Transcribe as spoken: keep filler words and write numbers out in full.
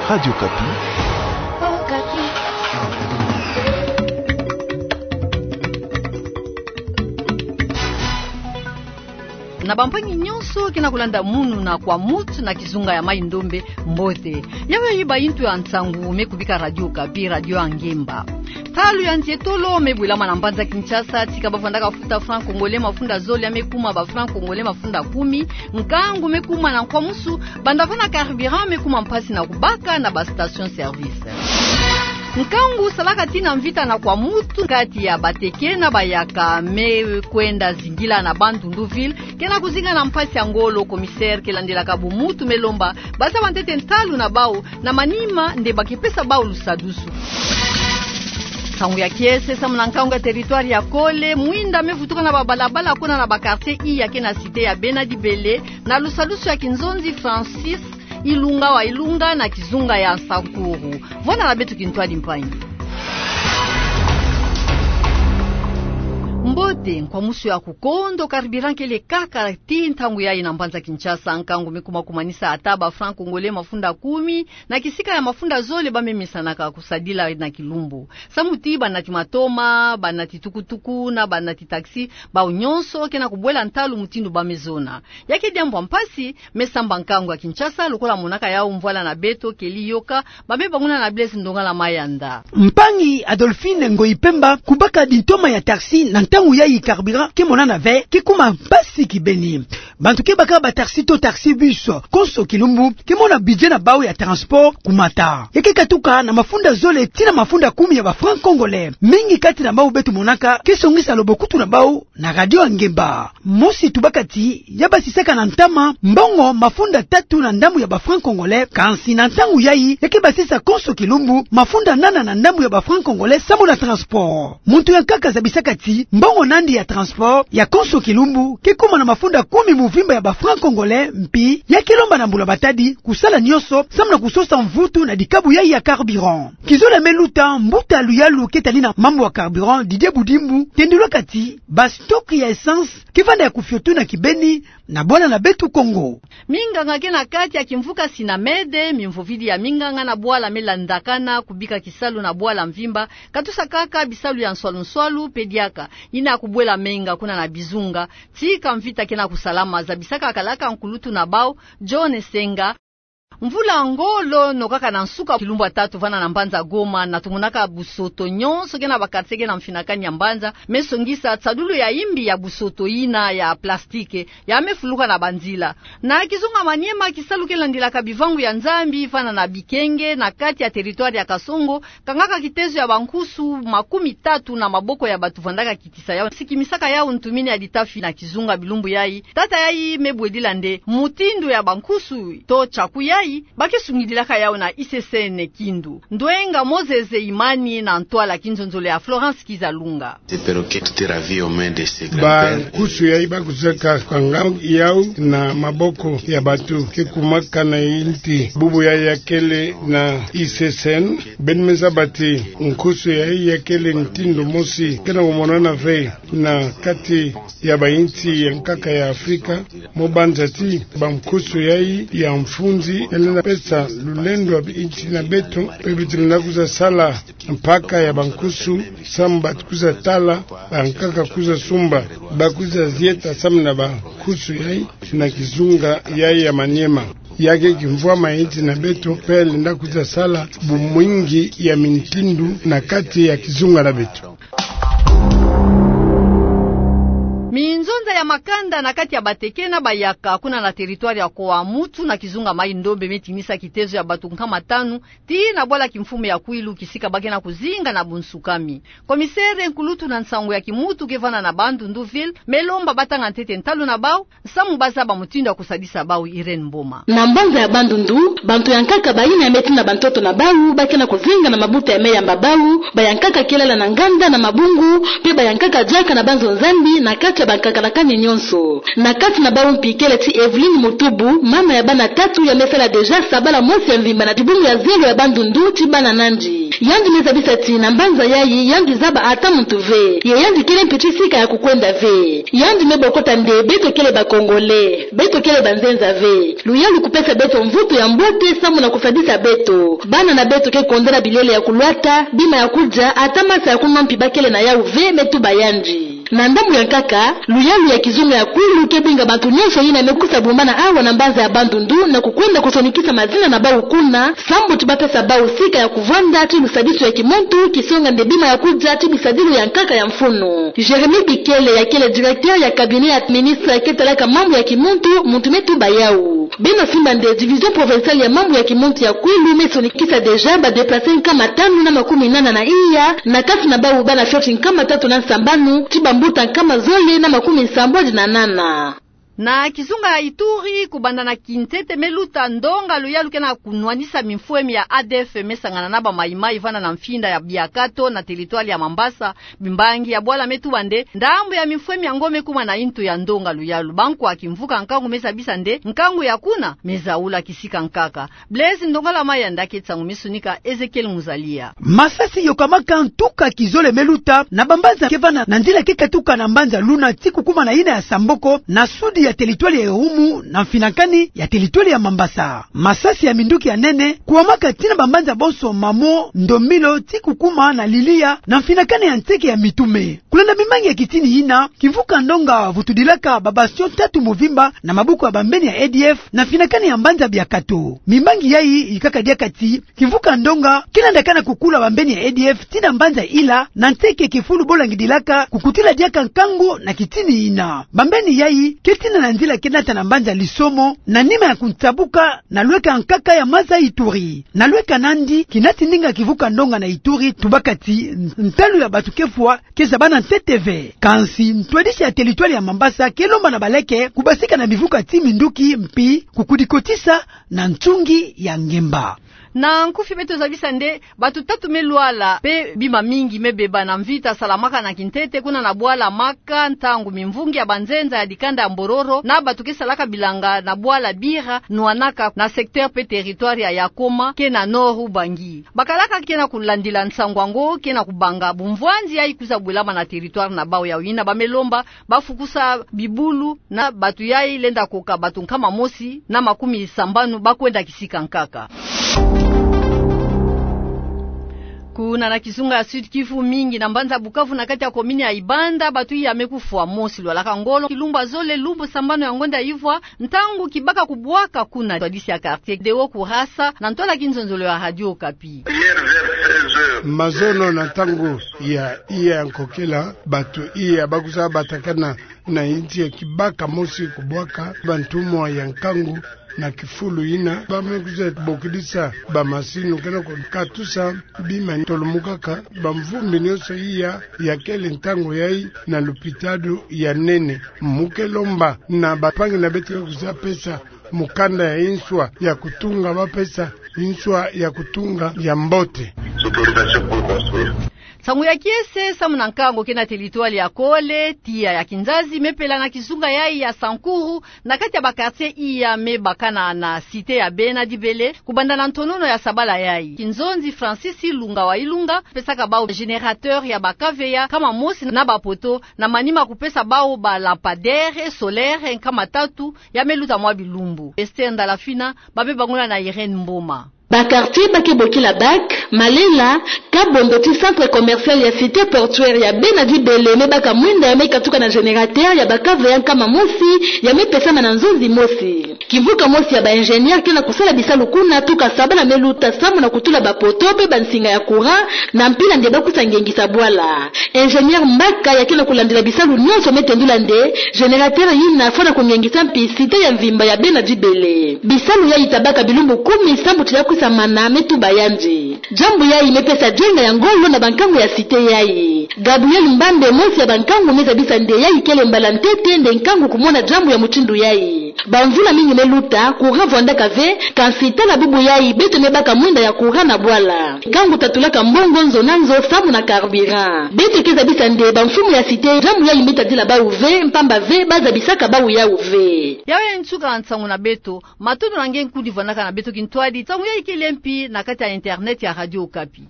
Radio Okapi. Na bampangi nyonso ke na kulanda Munu na Kwa Mutu na kizunga ya Mai-Ndombe, mbote. Yayo bayi ntu ya nsangu me kubika Radio Okapi, radio ya ngemba. Ntalu ya nsi etolo me bwelama na mbanza Kinshasa, tika ba vandaka futa franc congolais mafunda zole ya me kuma ba franc congolais mafunda kumi, nkangu me kuma na nkwamusu, banda vana carburant me kuma mpasi na kubaka na ba station service. Nkangu salaka tii na mvita na Kwa Mutu kati ya Bateke na Bayaka me kwenda zingila na Bandundu ville, ke na kuzinga na mpasi ya ngolo. Commissaire ke landelaka bumuntu me lomba ba zaba ntete ntalu na bawu, na manima nde ba ke pesa bawu lusadusu. Nsangu ya kiese samu na nkangu ya territoire ya Kole, mwinda me vutuka na ba balabala kuna na ba quartier iya ke na cité ya Bena Dibele, na lusadusu ya kinzonzi Francis Ilunga wa Ilunga na kizunga ya Sankuru. Vwanda na beto kintwadi mpangi. Mbote, nkwamusu ya kukondo, carburant kele kaka tii ntangu yayi na mbanza Kinshasa, nkangu me kuma kumanisa ata ba franc congolais mafunda kumi, na kisika ya mafunda zole ba me mesanaka kusadila na kilumbu. Samu ti banati matoma, banati tukutuku, na banati taxi, bawu nyonso ke na kubwela ntalu mutindu ba me zona. Ya ke diambu ya mpasi, me samba nkangu ya Kinshasa, lokola monaka yawu mvwala na beto, Kelly Yoka, ba me banguna na Blaise Ndongala Mayanda. Mpangi Adolphine Ngoyi Pemba, kubaka dintoma ya taxi na ntangu yayi carburant ke monana ve, ke kuma mpasi kibeni. Bantu ke baka ba taxi to taxi bus, konso kilumbu, ke mona budget na bawu ya transport kumata. Ya ke katuka na mafunda zole tii na mafunda kumi ya ba franc congolais. Mingi kati na bawu beto monaka, ke songisa lobokutu na bawu na radio ya ngemba. Mosi tubaka ti, ya basisaka na ntama mbongo mafunda tatu na ndambu ya ba franc congolais, kansi na ntangu yayi, ya ke basisa konso kilumbu mafunda nana na ndambu ya ba franc congolais samu na transport. Muntu ya nkaka zabisaka ti, mbongo nandi ya transport ya konso kilumbu ke kuma na mafunda kumi muvimba ya ba franc congolais, mpi ya ke lomba na mbula matadi kusala nyonso samu na kusosa mvutu na dikabu yayi ya carburant. Kizola me luta, mbuta luyalu ke tali na mambu ya carburant, Didier Budimbu, tendulaka ti, ba stock ya essence ke vanda ya kufiotu na kibeni na bwala na beto Kongo. Minganga ke na kati ya kimvuka Sinamede, mimvovidi ya minganga na bwala me landakana kubika kisalu na bwala mvimba, katusa kaka bisalu ya nswalu-nswalu pe diaka, yina ya kubwela menga kuna na bizunga, tika mvita ke na kusalama, zabisaka kalaka nkulutu na bawu, John Senga. Mvula ngolo nokaka na nsuka kilumbu ya tatu vana na mbanza Goma, na tumonaka busoto nyonso ke na ba quartier ke na mfinakani ya mbanza, me songisa tsadulu ya imbi ya busoto yina ya plastique ya me fuluka na banzila. Na kizunga Maniema, kisalu ke landilaka bivangu ya Nzambi vana na Bikenge, na kati ya territoire ya Kasongo, kangaka kitezo ya bankusu makumi tatu na maboko ya batu vandaka kitisa yawu, sikimisaka yawu ntumini ya litafi na kizunga bilumbu yayi. Tata yayi me bwedila nde mutindu ya bankusu to chaku yayi, ba ke sungidilaka yawu na I C C N Kindu. Ndwenga Moses Imani na ntwala kinzonzolo ya Florence Kizalunga. Bankusu yayi ba kuzaka kanga yawu na maboko ya batu ke kumaka na inti. Bubu yayi ya kele na I C C N, beno me zaba ti nkusu yayi ya kele ntindu mosi ke na kumonana ve na kati ya bainti ya nkaka ya Afrika, mo banza ti bankusu yayi ya mfunzi, yalenda pesa lulendo ya bainti na beto, pe beto lenda kwiza sala mpaka ya bankusu, samu batu kwiza tala, bankaka kwiza sumba, ba kwiza zieta samu na bankusu yayi, na kizunga yayi ya Maniema. Ya ke kimvwama ya inti na beto, pe lenda kwiza sala bumwingi ya mintindu na kati ya kizunga na beto. Minzonza ya makanda na kati ya Bateke na Bayaka, kuna na territoire ya Koa Mutu na kizunga Mai-Ndombe, me tinisa kitezo ya batu nkama tanu, tii na bwala kimfumu ya Kwilu, kisika ba ke na kuzinga na bunsukami. Komisere nkulutu na nsangu ya kimutu ke vana na Bandundu ville, me lomba ba tanga ntete ntalu na bawu, samu ba zaba mutindu ya kusadisa bawu. Irène Mboma. Na mbanza ya Bandundu, bantu ya nkaka bayina ya me tinda bantoto na bawu, ba ke na kuzinga na mabuta ya me yamba bawu, ba ya nkaka ke lala na nganda na mabungu, pe ba ya nkaka diaka na banzo Nzambi, na kati ya bankaka na ni nyonso. Na kati na bawu mpi kele ti Evelyne Mutubu, mama ya bana tatu ya me sala déjà sabala mosi ya mvimba na dibungu ya zelo ya Bandundu ti bana nandi. Yandi me zabisa ti na mbanza yayi, yandi zaba ata muntu ve. Ye yandi kele mpi ti sika ya kukwenda ve. Yandi me bokota nde beto kele ba Congolais, beto kele banzenza ve. Luyalu kupesa beto mvutu ya mbote sambu na kusadisa beto. Bana na beto ke kondana bilele ya kulwata, bima ya kudia, ata masa ya kunwa mpi bakele na yawu ve, me tuba yandi. Na ndambu ya nkaka, luyalu ya kizunga ya Kwilu ke bwinga bantu nyonso yina me kusa bumbana awa na mbanza ya Bandundu na kukwenda kusonikisa mazina na bawu kuna, sambu ti bapesa bawu sika ya kuvwanda ti lusadisu ya kimuntu, kisonga nde bima ya kudia ti bisadilu ya nkaka ya mfunu. Jérémie Bikele, ya kele directeur ya cabinet ya ministre ke talaka mambu ya kimuntu, muntu me tuba yawu. Beno simba nde division provinciale ya mambu ya kimuntu ya Kwilu me sonikisa déjà ba déplacés nkama tanu na makumi nana na iya, na kati na bawu bana fioti nkama tatu na sambanu, ti bambuta nkama zole na makumi sambwadi na nana. Na kizunga ya Ituri, kubanda na kintete me luta ndonga luyalu ke na kunwanisa mimfwemi ya A D F me sangana na ba Mai-Mai vanda na mfinda ya Biakato na territoire ya Mambasa, bimbangi ya bwala me tuba nde ndambu ya mimfwemi yango me kuma na intu ya ndonga luyalu. Bankwa kimvuka nkangu me zabisa nde nkangu ya kuna me zaula kisika nkaka. Blaise Ndongala Mayanda ke nsangu me sonika Ezekiel Muzalia. Masasi yokamaka ntuka kizole me luta na bambanza ke vanda na nzila ke katuka na mbanza Luna ti kukuma na yina ya Samboko na sudi ya territoire ya Irumu na mfinakani ya territoire ya Mambasa. Masasi ya minduki ya nene kuwamaka tii na bambanza bonso Mamo, Ndomilo ti kukuma na Lilia na mfinakani ya nseke ya Mitume. Kulanda bimbangi ya kitini yina, kimvuka ndonga vutudilaka ba bastion tatu mvimba na maboko ya bambeni ya A D F na mfinakani ya mbanza Biakato. Bimbangi yayi yikaka diaka ti kimvuka ndonga ke landaka na kukula bambeni ya A D F tii na mbanza Ila na nseke kifulu bo langidilaka kukutila diaka nkangu na kitini yina. Bambeni yayi ke tina na nzila ke nata na mbanza Lisomo na nima ya kunsabuka na lweka nkaka ya maza Ituri. Na lweka nandi, kinati ndinga kimvuka ndonga na Ituri tubaka ti ntalu ya bantu ke fwa ke zabana ntete ve. Kansi ntwadisi ya territoire ya Mambasa ke lomba na baleke kubasika na bivuka ti minduki mpi kukudikotisa na nsungi ya ngemba. Na nkufi beto zabisa nde bantu tatu me lwala mpe bima mingi me beba na mvita salamaka na kintete kuna na bwala Maka, ntangu mimvungi ya banzenza ya dikanda ya Mbororo na bantu ke salaka bilanga na bwala Bira nwanaka na secteur mpe territoire ya Yakoma ke na Nord Ubangi. Bakalaka ke na kulandila nsangu yango ke na kubanga bumvwanzi yayi kwiza bwelama na territoire na bawu, yawu yina ba me lomba ba fukusa bibulu na bantu yayi lenda koka bantu nkama mosi na makumi sambanu ba kwenda kisika nkaka. Kuna na kizunga ya Sud-Kivu, mingi na mbanza Bukavu na kati ya commune ya Ibanda, bantu iya me kufwa. Mosi lwalaka ngolo kilumbu ya zole lumbu sambanu ya ngonda ivwa, ntangu kibaka kubwaka kuna. Ntwadisi ya quartier Deo Kurasa na ntwala kinzonzolo ya Radio Okapi. Mazono na ntangu ya iya ya nkokila, bantu iya ba kwiza batakana na insi ya kibaka mosi kubwaka, bantumwa ya nkangu na kifulu yina ba me kwiza bokidisa bamasini ke na kukatusa bima tolomukaka. Bamvumbi nyonso iya ya kele ntangu yayi na lupitalu ya nene. Mu ke lomba na bampangi na beto ke kwiza pesa mukanda ya inswa ya kutunga, ba pesa inswa ya kutunga ya mbote. Nsangu ya kiese samu na nkangu ke na territoire ya Kole, tiya ya Kinzazi me pela na kizunga yayi ya Sankuru, na kati ya ba quartier iya me bakana na cité ya Bena Dibele, kubanda na ntonono ya sabala yayi. Kinzonzi Francis Ilunga wa Ilunga pesaka bawu générateur ya ba kaveya nkama mosi na ba poteau, na manima kupesa bawu ba lampadaire solaire nkama tatu ya me luta mwa bilumbu. Esther Ndalafina, ba me bangula na Irène Mboma. Ba quartier ba ke bokila Bac, Malela, Kabondo ti centre commercial ya cité portuaire ya Bena Dibele me baka mwinda ya me katuka na générateur ya ba kaveya nkama mosi ya me pesama na nzonzi mosi. Kimvuka mosi ya ba ingénieur ke na kusala bisalu kuna tuka sabala me luta samu na kutula ba poteau mpe bansinga ya courant na mpila nde ba kwiza ngengisa bwala. Ingénieur Mbaka ya ke na kulandila bisalu nyonso me tendula nde générateur yina fwana kungengisa mpi cité ya mvimba ya Bena Dibele. Bisalu yayi tabaka bilumbu kumi sambu ti ya kwiza mana, me tuba yandi. Diambu yayi mepesa dienga ya ngolo na bankangu ya cité yayi. Gabriel Mbambe, mosi ya bankangu, meza bisa nde yayi kele mbala ntete nde nkangu kumona diambu ya mutindu yayi. Bamvula mingi meluta, courant vwandaka ve, kansi tala bubu yayi beto mebaka mwinda ya courant na bwala. Nkangu tatulaka mbongo nzo na nzo samu na carburant. Beto keza bisa nde bamfumu ya cité diambu yayi metadila bawu ve, mpamba ve bazabisaka bawu yawu ve. Yawu ya nsuka nsangu na beto. Matondo na nge nkundi vwandaka na beto kintwadi. Nsangu yayi kele mpi na kati ya internet ya Radio Okapi.